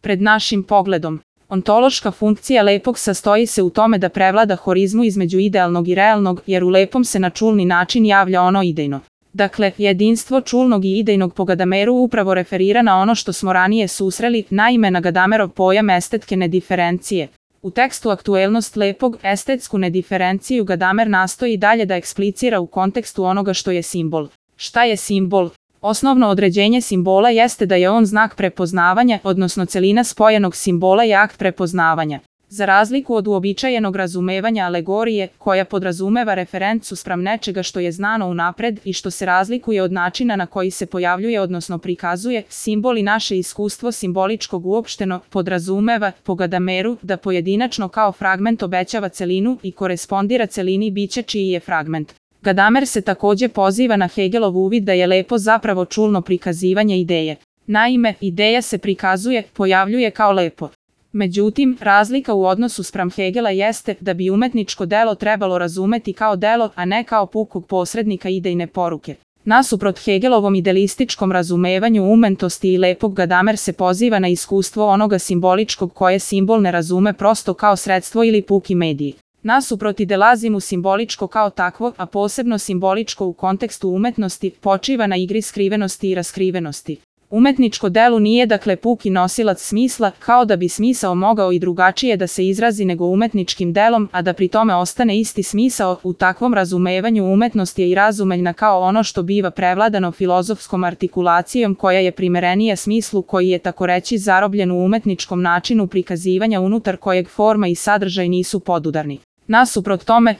pred našim pogledom. Ontološka funkcija lepog sastoji se u tome da prevlada horizmu između idealnog i realnog, jer u lepom se na čulni način javlja ono idejno. Dakle, jedinstvo čulnog i idejnog po Gadameru upravo referira na ono što smo ranije susreli, naime na Gadamerov pojam estetske nediferencije. U tekstu Aktuelnost lepog, estetsku nediferenciju Gadamer nastoji dalje da eksplicira u kontekstu onoga što je simbol. Šta je simbol? Osnovno određenje simbola jeste da je on znak prepoznavanja, odnosno celina spojenog simbola je akt prepoznavanja. Za razliku od uobičajenog razumevanja alegorije, koja podrazumeva referencu spram nečega što je znano unapred i što se razlikuje od načina na koji se pojavljuje odnosno prikazuje, simbol i naše iskustvo simboličkog uopšteno podrazumeva, po Gadameru, da pojedinačno kao fragment obećava celinu i korespondira celini bića čiji je fragment. Gadamer se takođe poziva na Hegelov uvid da je lepo zapravo čulno prikazivanje ideje. Naime, ideja se prikazuje, pojavljuje kao lepo. Međutim, razlika u odnosu spram Hegela jeste da bi umetničko delo trebalo razumeti kao delo, a ne kao pukog posrednika idejne poruke. Nasuprot Hegelovom idealističkom razumevanju umetnosti i lepog, Gadamer se poziva na iskustvo onoga simboličkog koje simbol ne razume prosto kao sredstvo ili puki medij. Nasuprot idealizmu simboličko kao takvo, a posebno simboličko u kontekstu umetnosti, počiva na igri skrivenosti i raskrivenosti. Umetničko delo nije dakle puki nosilac smisla, kao da bi smisao mogao i drugačije da se izrazi nego umetničkim delom, a da pri tome ostane isti smisao. U takvom razumevanju umetnost je i razumeljna kao ono što biva prevladano filozofskom artikulacijom koja je primerenija smislu koji je takoreći zarobljen u umetničkom načinu prikazivanja unutar kojeg forma i sadržaj nisu podudarni. Nasuprot tome,